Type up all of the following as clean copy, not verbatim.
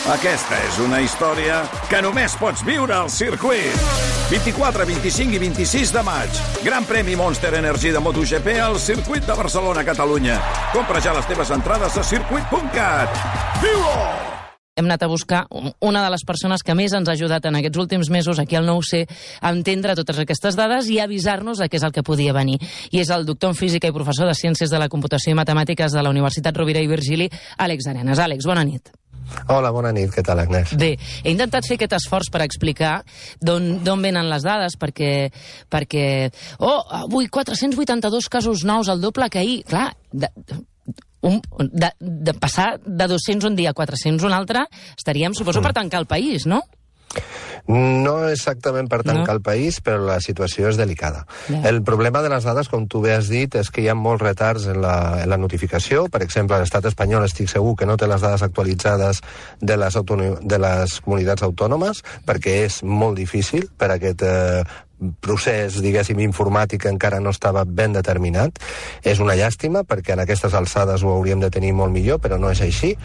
Aquesta és una història que només pots viure al circuit. 24, 25 i 26 de maig. Gran premi Monster Energy de MotoGP al circuit de Barcelona, Catalunya. Compra ja les teves entrades a circuit.cat. Viu-ho! Hem anat a buscar una de les persones que més ens ha ajudat en aquests últims mesos aquí al 9C a entendre totes aquestes dades i a avisar-nos de què és el que podia venir. I és el doctor en física i professor de Ciències de la Computació i Matemàtiques de la Universitat Rovira i Virgili, Àlex Arenas. Àlex, bona nit. Hola, bona nit. Què tal, Agnès? Bé, he intentat fer aquest esforç per explicar d'on venen les dades, perquè avui 482 casos nous, el doble que ahir. Clar, de passar de 200 un dia a 400 un altre, estaríem, suposo, per tancar el país, no? No exactament per tancar el país, però la situació és delicada. El problema de les dades, com tu bé has dit, és que hi ha molts retards en la notificació. Per exemple, l'estat espanyol estic segur que no té les dades actualitzades de les comunitats autònomes, perquè és molt difícil per aquest procés, diguéssim, informàtic encara no estava ben determinat. És una llàstima, perquè en aquestes alçades ho hauríem de tenir molt millor, però no és així.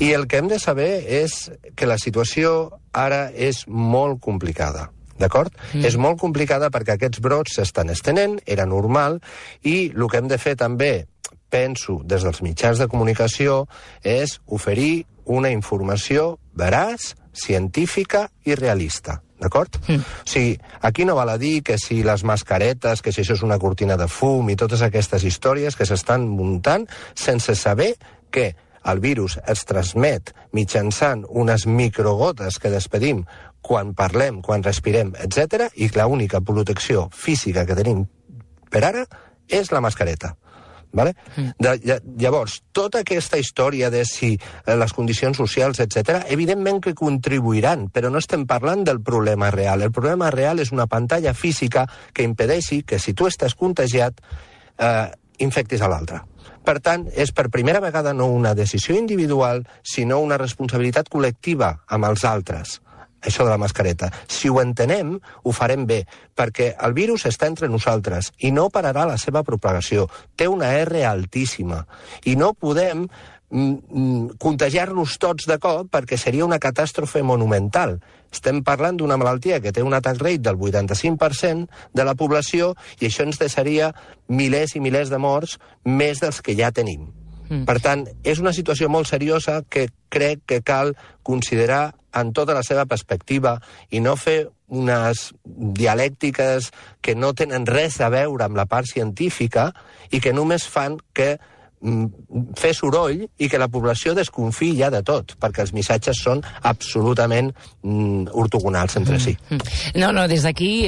I el que hem de saber és que la situació ara és molt complicada. D'acord? És molt complicada perquè aquests brots s'estan estenent, era normal, i el que hem de fer també, penso, des dels mitjans de comunicació, és oferir una informació veraç, científica i realista. D'acord? O sigui, aquí no val a dir que si les mascaretes, que si això és una cortina de fum i totes aquestes històries que s'estan muntant sense saber que el virus es transmet mitjançant unes microgotes que despedim quan parlem, quan respirem, etc. i que l'única protecció física que tenim per ara és la mascareta. Vale? Llavors, tota aquesta història de si les condicions socials, etc., evidentment que contribuiran, però no estem parlant del problema real. El problema real és una pantalla física que impedeixi que si tu estàs contagiat, infectis a l'altre. Per tant, és per primera vegada no una decisió individual, sinó una responsabilitat col·lectiva amb els altres. Això de la mascareta. Si ho entenem, ho farem bé, perquè el virus està entre nosaltres i no pararà la seva propagació. Té una R altíssima i no podem contagiar-nos tots de cop perquè seria una catàstrofe monumental. Estem parlant d'una malaltia que té un attack rate del 85% de la població i això ens deixaria milers i milers de morts més dels que ja tenim. Per tant, és una situació molt seriosa que crec que cal considerar en tota la seva perspectiva i no fer unes dialèctiques que no tenen res a veure amb la part científica i que només fan que fer soroll i que la població desconfiï ja de tot, perquè els missatges són absolutament ortogonals entre si. No, des d'aquí,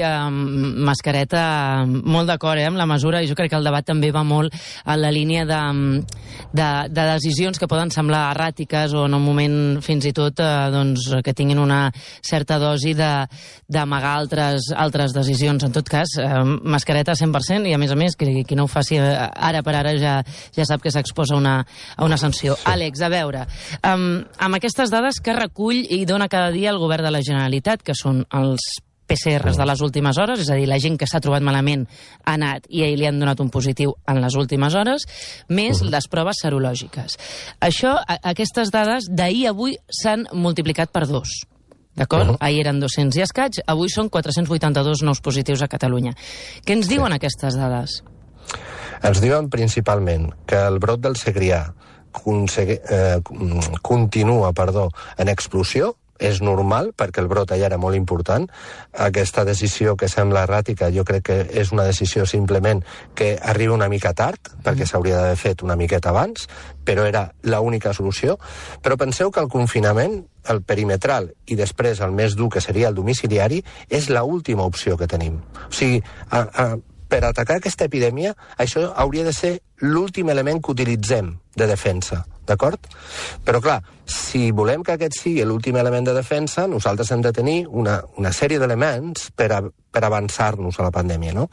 mascareta, molt d'acord amb la mesura, i jo crec que el debat també va molt en la línia de decisions que poden semblar erràtiques o en un moment fins i tot que tinguin una certa dosi d'amagar altres decisions. En tot cas, mascareta 100% i a més, qui no ho faci ara per ara ja sap que s'exposa a una sanció. Sí. Àlex, a veure, amb aquestes dades que recull i dona cada dia el govern de la Generalitat, que són els PCRs de les últimes hores, és a dir, la gent que s'ha trobat malament ha anat i li han donat un positiu en les últimes hores, més les proves serològiques. Aquestes dades d'ahir a avui s'han multiplicat per 2. D'acord? Ahir eren 200 i escaig, avui són 482 nous positius a Catalunya. Què ens diuen aquestes dades? Ens diuen principalment que el brot del Segrià continua en explosió, és normal, perquè el brot allà era molt important. Aquesta decisió que sembla erràtica, jo crec que és una decisió simplement que arriba una mica tard, perquè s'hauria d'haver fet una miqueta abans, però era l'única solució. Però penseu que el confinament, el perimetral i després el més dur, que seria el domiciliari, és l'última opció que tenim. O sigui, per atacar aquesta epidèmia, això hauria de ser l'últim element que utilitzem de defensa, d'acord? Però clar, si volem que aquest sigui l'últim element de defensa, nosaltres hem de tenir una sèrie d'elements per avançar-nos a la pandèmia, no?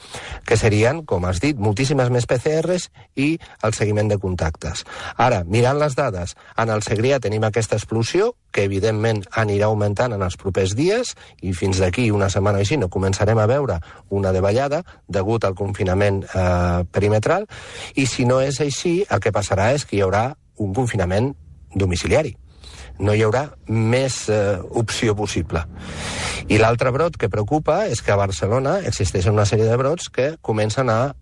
Que serien, com has dit, moltíssimes més PCRs i el seguiment de contactes. Ara, mirant les dades, en el Segrià tenim aquesta explosió, que evidentment anirà augmentant en els propers dies, i fins d'aquí una setmana o així no començarem a veure una davallada degut al confinament perimetral, i si no és així, el que passarà és que hi haurà un confinament domiciliari. no hi haurà més opció possible. I l'altre brot que preocupa és que a Barcelona existeixen una sèrie de brots que comencen a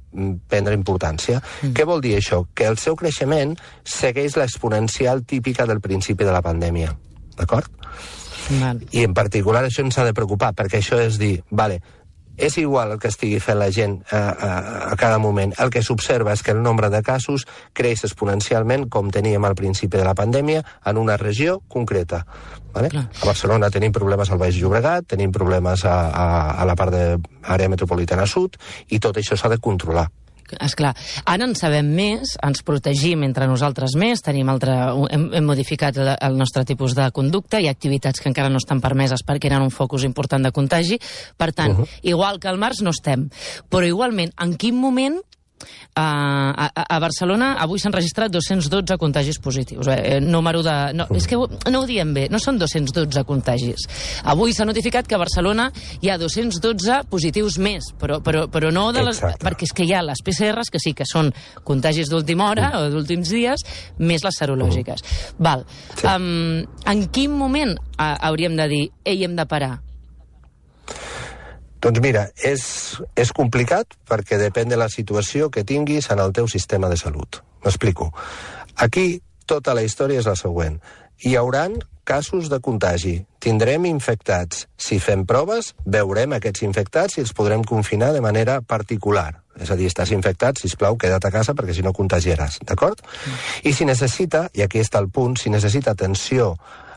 prendre importància. Què vol dir això? Que el seu creixement segueix l'exponencial típica del principi de la pandèmia. D'acord? I en particular això ens ha de preocupar, perquè això és dir, vale, és igual el que estigui fent la gent a cada moment. El que s'observa és que el nombre de casos creix exponencialment, com teníem al principi de la pandèmia, en una regió concreta. Vale? A Barcelona tenim problemes al Baix Llobregat, tenim problemes a la part de l'àrea metropolitana sud, i tot això s'ha de controlar. Esclar, ara en sabem més, ens protegim entre nosaltres més, hem modificat el nostre tipus de conducta, hi ha activitats que encara no estan permeses perquè eren un focus important de contagi, per tant, igual que al març no estem. Però igualment, en quin moment a Barcelona avui s'han registrat 212 contagis positius. És que no ho diem bé, no són 212 contagis. Avui s'ha notificat que a Barcelona hi ha 212 positius més, però no de les... Perquè és que hi ha les PCRs, que sí que són contagis d'última hora o d'últims dies, més les serològiques. Val. En quin moment hauríem de dir, ei, hem de parar? Doncs mira, és complicat perquè depèn de la situació que tinguis en el teu sistema de salut. M'explico. Aquí tota la història és la següent. Hi hauran casos de contagi. Tindrem infectats. Si fem proves, veurem aquests infectats i els podrem confinar de manera particular. És a dir, estàs infectat, sisplau, queda't a casa perquè si no contagiaràs, d'acord? I si necessita, i aquí està el punt, si necessita atenció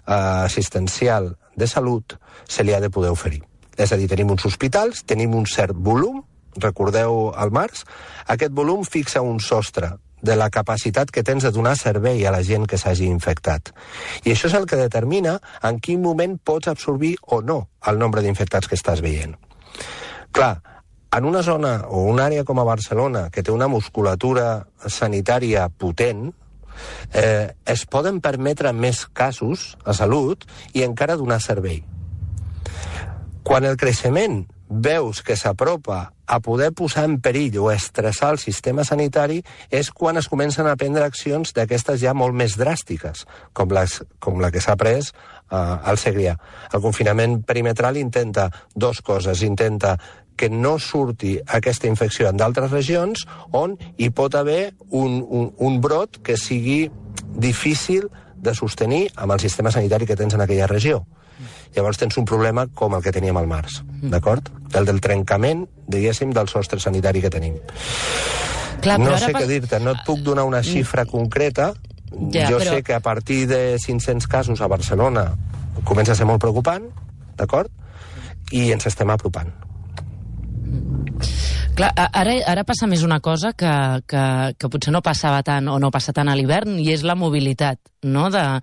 assistencial de salut, se li ha de poder oferir. És a dir, tenim uns hospitals, tenim un cert volum, recordeu al març, aquest volum fixa un sostre de la capacitat que tens de donar servei a la gent que s'hagi infectat. I això és el que determina en quin moment pots absorbir o no el nombre d'infectats que estàs veient. Clar, en una zona o una àrea com a Barcelona, que té una musculatura sanitària potent, es poden permetre més casos a salut i encara donar servei. Quan el creixement veus que s'apropa a poder posar en perill o estressar el sistema sanitari és quan es comencen a prendre accions d'aquestes ja molt més dràstiques, com la que s'ha pres al Segrià. El confinament perimetral intenta dues coses. Intenta que no surti aquesta infecció en d'altres regions on hi pot haver un brot que sigui difícil de sostenir amb el sistema sanitari que tens en aquella regió. Llavors tens un problema com el que teníem al març, d'acord? El del trencament, diguéssim, del sostre sanitari que tenim. Clar, no sé què dir-te, no et puc donar una xifra concreta. Sé que a partir de 500 casos a Barcelona comença a ser molt preocupant, d'acord? I ens estem apropant. Clar, ara passa més una cosa que potser no passava tant o no passa tant a l'hivern, i és la mobilitat, no? De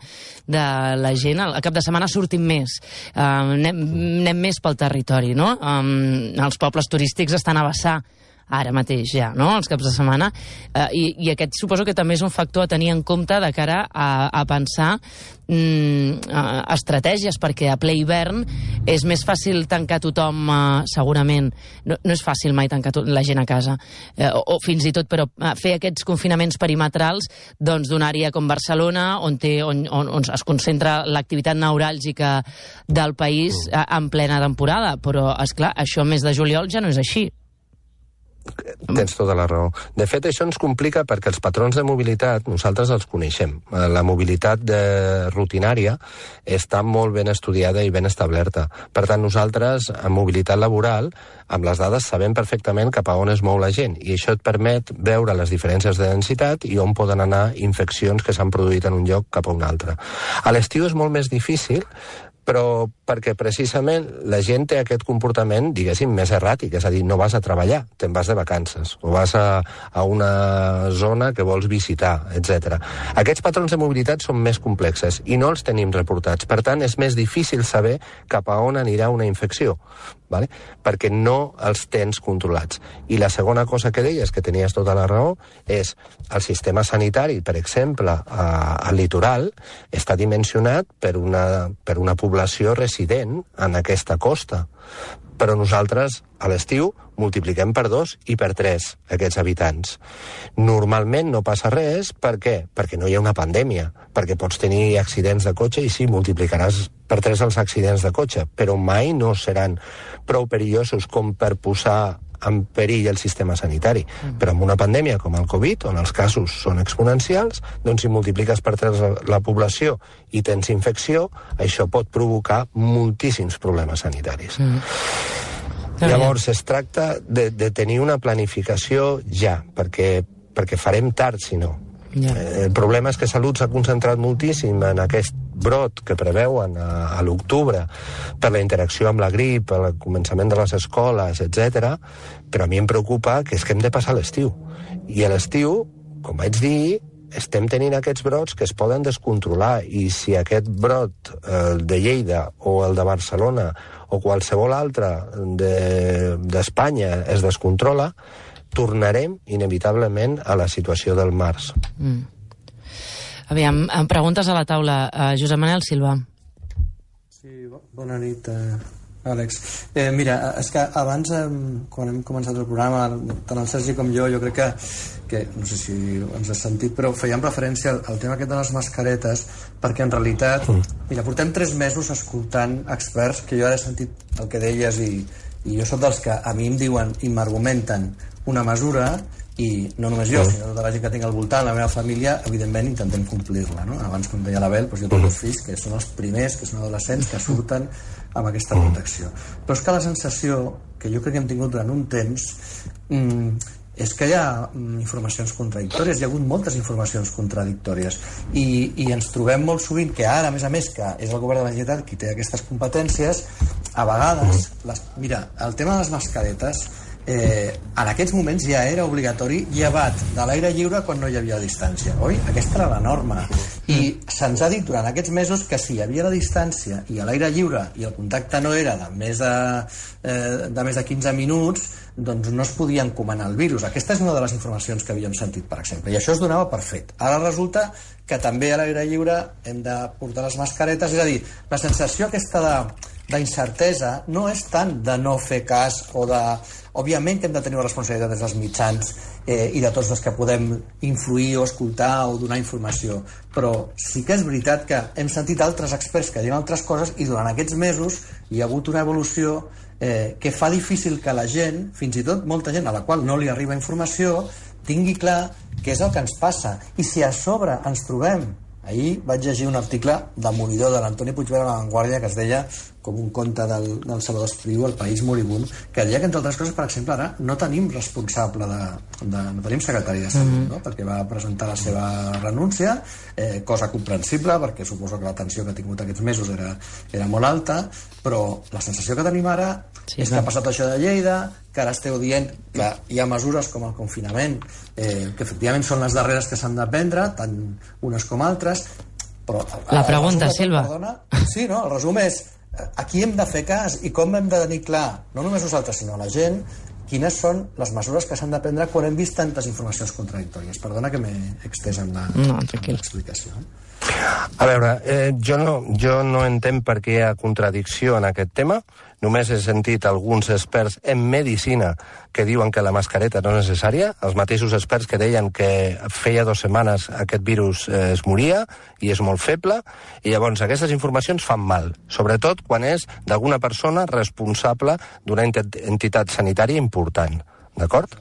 la gent. Al cap de setmana sortim més, anem més pel territori, no? Els pobles turístics estan a vessar ara mateix ja, no?, els caps de setmana, i aquest suposo que també és un factor a tenir en compte de cara a pensar estratègies, perquè a ple hivern és més fàcil tancar tothom, segurament. No és fàcil mai tancar la gent a casa, o fins i tot, però fer aquests confinaments perimetrals d'una àrea com Barcelona, on es concentra l'activitat neuràlgica del país en plena temporada. Però, esclar, això al mes de juliol ja no és així. Tens tota la raó. De fet, això ens complica perquè els patrons de mobilitat nosaltres els coneixem. La mobilitat rutinària està molt ben estudiada i ben establerta. Per tant, nosaltres, en mobilitat laboral, amb les dades sabem perfectament cap a on es mou la gent, i això et permet veure les diferències de densitat i on poden anar infeccions que s'han produït en un lloc cap a un altre. A l'estiu és molt més difícil, però perquè precisament la gent té aquest comportament, diguéssim, més erràtic, és a dir, no vas a treballar, te'n vas de vacances, o vas a una zona que vols visitar, etc. Aquests patrons de mobilitat són més complexes i no els tenim reportats. Per tant, és més difícil saber cap a on anirà una infecció, vale? Perquè no els tens controlats. I la segona cosa que deies, que tenies tota la raó, és el sistema sanitari, per exemple, al litoral, està dimensionat per una població resident en aquesta costa. Però nosaltres, a l'estiu, multipliquem per 2 i per 3 aquests habitants. Normalment no passa res, per què? Perquè no hi ha una pandèmia, perquè pots tenir accidents de cotxe i sí, multiplicaràs per 3 els accidents de cotxe, però mai no seran prou perillosos com per posar en perill el sistema sanitari. Però amb una pandèmia com el Covid, on els casos són exponencials, doncs si multipliques per 3 la població i tens infecció, això pot provocar moltíssims problemes sanitaris. Llavors, es tracta de tenir una planificació ja, perquè farem tard, si no. El problema és que Salut s'ha concentrat moltíssim en aquest brot que preveuen a l'octubre per la interacció amb la grip, al començament de les escoles, etc. Però a mi em preocupa que és que hem de passar l'estiu. I a l'estiu, com vaig dir, estem tenint aquests brots que es poden descontrolar, i si aquest brot, el de Lleida o el de Barcelona o qualsevol altre d'Espanya es descontrola, tornarem inevitablement a la situació del març. Aviam, preguntes a la taula. Josep Manel Silva. Sí, bona nit, Àlex. Mira, és que abans, quan hem començat el programa, tant el Sergi com jo crec que no sé si ens has sentit, però fèiem referència al tema aquest de les mascaretes, perquè en realitat, mira, portem 3 mesos escoltant experts, que jo ara he sentit el que deies, i jo soc dels que a mi em diuen i m'argumenten una mesura, i no només jo, sinó tota la gent que tinc al voltant, la meva família, evidentment intentem complir-la, no? Abans, com deia l'Abel, doncs jo tinc 2 fills que són els primers, que són adolescents, que surten amb aquesta protecció. Però és que la sensació que jo crec que hem tingut durant un temps és que hi ha informacions contradictòries, hi ha hagut moltes informacions contradictòries, i ens trobem molt sovint que ara, a més, que és el govern de la Generalitat qui té aquestes competències, a vegades, mira, el tema de les mascaretes, en aquests moments ja era obligatori llevat de l'aire lliure quan no hi havia distància, oi? Aquesta era la norma, i se'ns ha dit durant aquests mesos que si hi havia la distància i a l'aire lliure i el contacte no era de més de 15 minuts, doncs no es podia encomanar el virus. Aquesta és una de les informacions que havíem sentit, per exemple, i això es donava per fet. Ara resulta que també a l'aire lliure hem de portar les mascaretes, és a dir, la sensació aquesta d'incertesa no és tant de no fer cas o de... Òbviament que hem de tenir una responsabilitat des dels mitjans i de tots els que podem influir o escoltar o donar informació, però sí que és veritat que hem sentit altres experts que diuen altres coses, i durant aquests mesos hi ha hagut una evolució que fa difícil que la gent, fins i tot molta gent a la qual no li arriba informació, tingui clar què és el que ens passa. I si a sobre ens trobem... Ahir vaig llegir un article demolidor de l'Antoni Puigverd a La Vanguardia que es deia com un conte del Salvador Espriu, El país moribund, que deia que, entre altres coses, per exemple, ara no tenim responsable no tenim secretari de Salut, no? Perquè va presentar la seva renúncia, cosa comprensible, perquè suposo que la tensió que ha tingut aquests mesos era molt alta, però la sensació que tenim ara és que ha passat això de Lleida, que ara esteu dient que hi ha mesures com el confinament, que efectivament són les darreres que s'han de prendre, tant unes com altres, però... La pregunta, Silva. Sí, no? El resum és a qui hem de fer cas i com hem de tenir clar, no només nosaltres, sinó la gent, quines són les mesures que s'han de prendre quan hem vist tantes informacions contradictòries. Perdona que m'he extès en l'explicació. A veure, jo no entenc per què hi ha contradicció en aquest tema. Només he sentit alguns experts en medicina que diuen que la mascareta no és necessària, els mateixos experts que deien que feia 2 setmanes aquest virus es moria i és molt feble, i llavors aquestes informacions fan mal, sobretot quan és d'alguna persona responsable d'una entitat sanitària important, d'acord?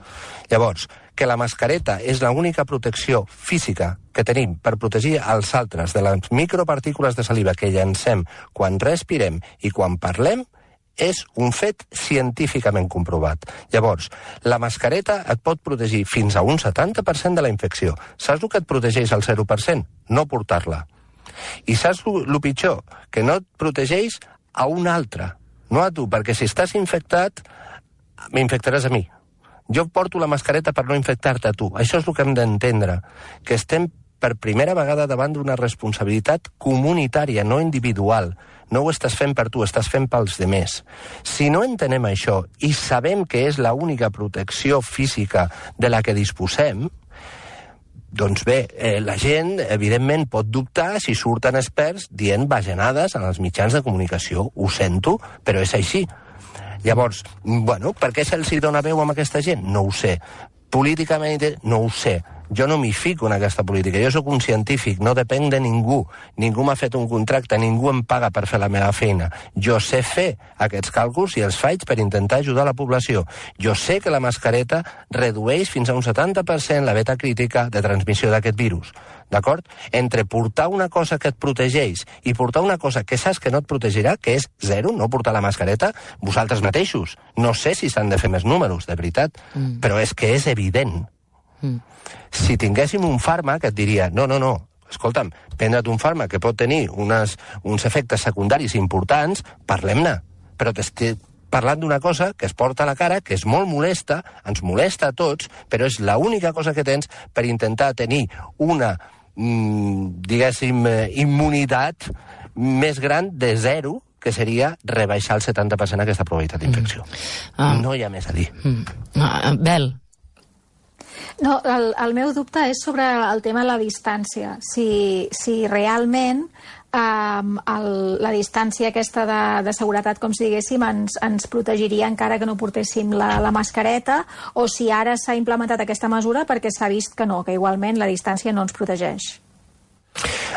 Llavors, que la mascareta és l'única protecció física que tenim per protegir els altres de les micropartícules de saliva que llancem quan respirem i quan parlem, és un fet científicament comprovat. Llavors, la mascareta et pot protegir fins a un 70% de la infecció. Saps el que et protegeix al 0%? No portar-la. I saps el pitjor? Que no et protegeix a un altre, no a tu, perquè si estàs infectat, m'infectaràs a mi. Jo porto la mascareta per no infectar-te a tu. Això és el que hem d'entendre, que estem per primera vegada davant d'una responsabilitat comunitària, no individual. No ho estàs fent per tu, estàs fent pels demés. Si no entenem això i sabem que és l'única protecció física de la que disposem, doncs bé, la gent, evidentment, pot dubtar si surten experts dient bajanades en els mitjans de comunicació. Ho sento, però és així. Llavors, bueno, per què se'ls dona veu amb aquesta gent? No ho sé. Políticament, no ho sé. Jo no m'hi fico en aquesta política. Jo sóc un científic, no depenc de ningú. Ningú m'ha fet un contracte, ningú em paga per fer la meva feina. Jo sé fer aquests càlculs i els faig per intentar ajudar la població. Jo sé que la mascareta redueix fins a un 70% la beta crítica de transmissió d'aquest virus. D'acord? Entre portar una cosa que et protegeix i portar una cosa que saps que no et protegirà, que és zero, no portar la mascareta, vosaltres mateixos. No sé si s'han de fer més números, de veritat, però és que és evident. Si tinguéssim un fàrmac, et diria, no, escolta'm, prendre't un fàrmac que pot tenir uns efectes secundaris importants, parlem-ne. Però t'estic parlant d'una cosa que es porta a la cara, que és molt molesta, ens molesta a tots, però és l'única cosa que tens per intentar tenir una, diguéssim, immunitat més gran de zero, que seria rebaixar el 70% aquesta probabilitat d'infecció. No hi ha més a dir. Bel. No, el meu dubte és sobre el tema de la distància. Si realment la distància aquesta de seguretat, com si diguéssim, ens protegiria encara que no portéssim la mascareta, o si ara s'ha implementat aquesta mesura perquè s'ha vist que no, que igualment la distància no ens protegeix.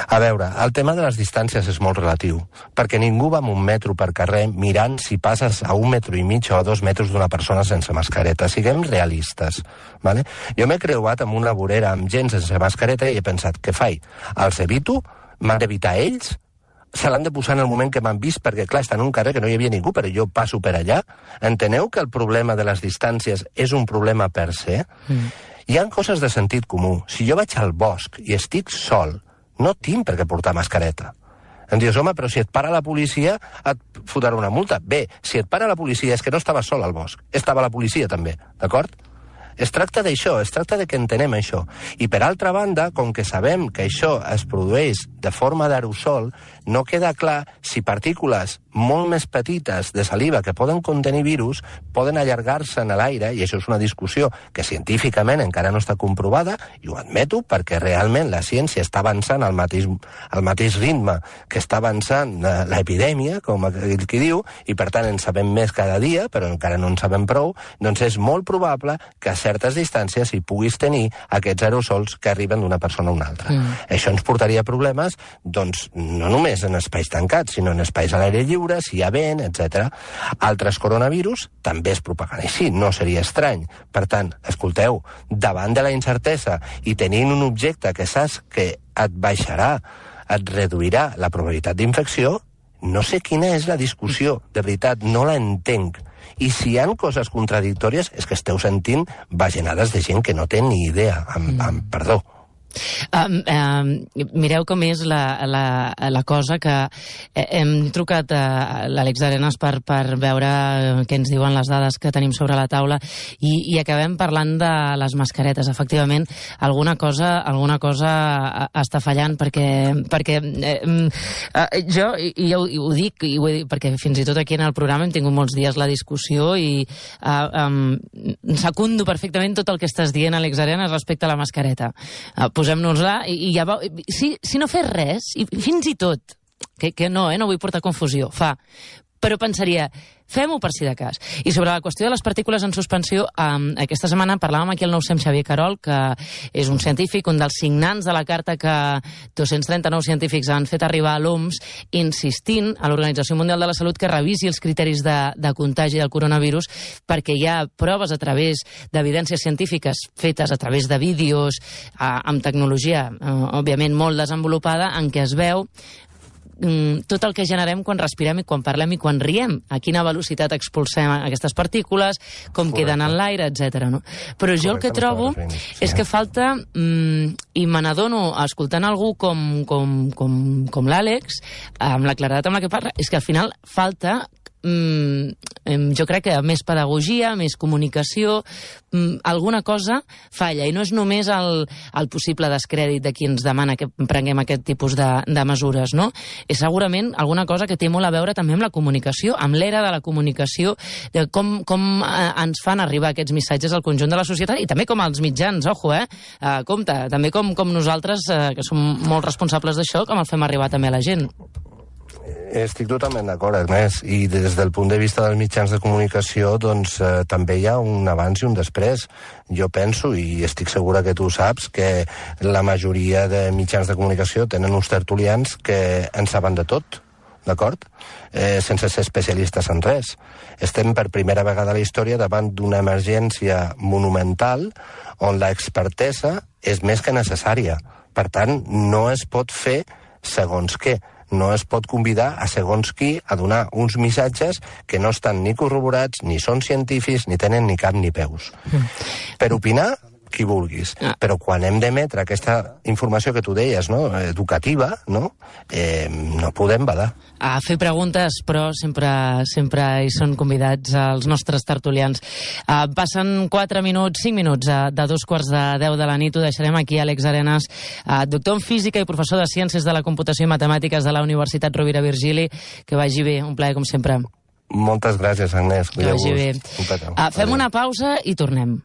A veure, el tema de les distàncies és molt relatiu, perquè ningú va amb un metro per carrer mirant si passes a 1,5 metres o a 2 metres d'una persona sense mascareta. Siguem realistes, ¿vale? Jo m'he creuat amb una vorera amb gent sense mascareta i he pensat, què faig? Els evito? M'han d'evitar ells? Se l'han de posar en el moment que m'han vist, perquè clar, estan en un carrer que no hi havia ningú, però jo passo per allà. Enteneu que el problema de les distàncies és un problema per se? Hi ha coses de sentit comú. Si jo vaig al bosc i estic sol, no tinc per què portar mascareta. Em dius, home, però si et para la policia et fotrà una multa. Bé, si et para la policia és que no estava sol al bosc, estava la policia també, d'acord? Es tracta d'això, es tracta de que entenem això. I per altra banda, com que sabem que això es produeix de forma d'aerosol, no queda clar si partícules molt més petites de saliva que poden contenir virus poden allargar-se en l'aire, i això és una discussió que científicament encara no està comprovada, i ho admeto perquè realment la ciència està avançant al mateix ritme que està avançant l'epidèmia, com aquell qui diu, i per tant en sabem més cada dia, però encara no en sabem prou, doncs és molt probable que a certes distàncies hi puguis tenir aquests aerosols que arriben d'una persona a una altra. Això ens portaria problemes, doncs, no només en espais tancats, sinó en espais a l'aire lliure, si hi ha vent, etc. Altres coronavirus també es propaguen així, no seria estrany. Per tant, escolteu, davant de la incertesa i tenint un objecte que saps que et baixarà, et reduirà la probabilitat d'infecció, no sé quina és la discussió, de veritat, no la entenc. I si hi ha coses contradictòries és que esteu sentint bajanades de gent que no té ni idea, amb perdó. Mireu com és la cosa, que hem trucat a l'Àlex Arenas per veure què ens diuen les dades que tenim sobre la taula i acabem parlant de les mascaretes. Efectivament, alguna cosa està fallant, perquè jo ho dic, i ho he dit, perquè fins i tot aquí en el programa hem tingut molts dies la discussió i secundo perfectament tot el que estàs dient, Àlex Arenas, respecte a la mascareta. Posem-nos-la i ja veu... Si no fes res, i fins i tot, que no vull portar confusió, però pensaria, fem-ho per si de cas. I sobre la qüestió de les partícules en suspensió, aquesta setmana parlàvem aquí al 900 amb Xavier Carol, que és un científic, un dels signants de la carta que 239 científics han fet arribar a l'OMS, insistint a l'Organització Mundial de la Salut que revisi els criteris de contagi del coronavirus, perquè hi ha proves a través d'evidències científiques fetes a través de vídeos, amb tecnologia, òbviament, molt desenvolupada, en què es veu tot el que generem quan respirem i quan parlem i quan riem, a quina velocitat expulsem aquestes partícules, com queden en l'aire, etc. No? Però jo el que trobo és que falta, i me n'adono escoltant algú com l'Àlex, amb la claredat amb la que parla, és que al final falta jo crec que més pedagogia, més comunicació, alguna cosa falla, i no és només el possible descrèdit de qui ens demana que prenguem aquest tipus de mesures, no? És segurament alguna cosa que té molt a veure també amb la comunicació, amb l'era de la comunicació, de com ens fan arribar aquests missatges al conjunt de la societat, i també com als mitjans, compte, també com nosaltres, que som molt responsables d'això, com el fem arribar també a la gent. Estic totalment d'acord, Ernest, i des del punt de vista dels mitjans de comunicació doncs també hi ha un abans i un després. Jo penso, i estic segura que tu ho saps, que la majoria de mitjans de comunicació tenen uns tertulians que en saben de tot, d'acord? Sense ser especialistes en res. Estem per primera vegada a la història davant d'una emergència monumental on l'expertesa és més que necessària. Per tant, no es pot fer segons què. No es pot convidar a segons qui a donar uns missatges que no estan ni corroborats, ni són científics, ni tenen ni cap ni peus. Per opinar, qui vulguis. Però quan hem d'emetre aquesta informació que tu deies, no? Educativa, no? No podem badar. A fer preguntes, però sempre hi són convidats els nostres tertulians. Passen 5 minuts de 2:15 de la nit. Ho deixarem aquí, Àlex Arenas, doctor en física i professor de Ciències de la Computació i Matemàtiques de la Universitat Rovira Virgili. Que vagi bé, un plaer com sempre. Moltes gràcies, Agnès. Que vagi bé. Fem una pausa i tornem.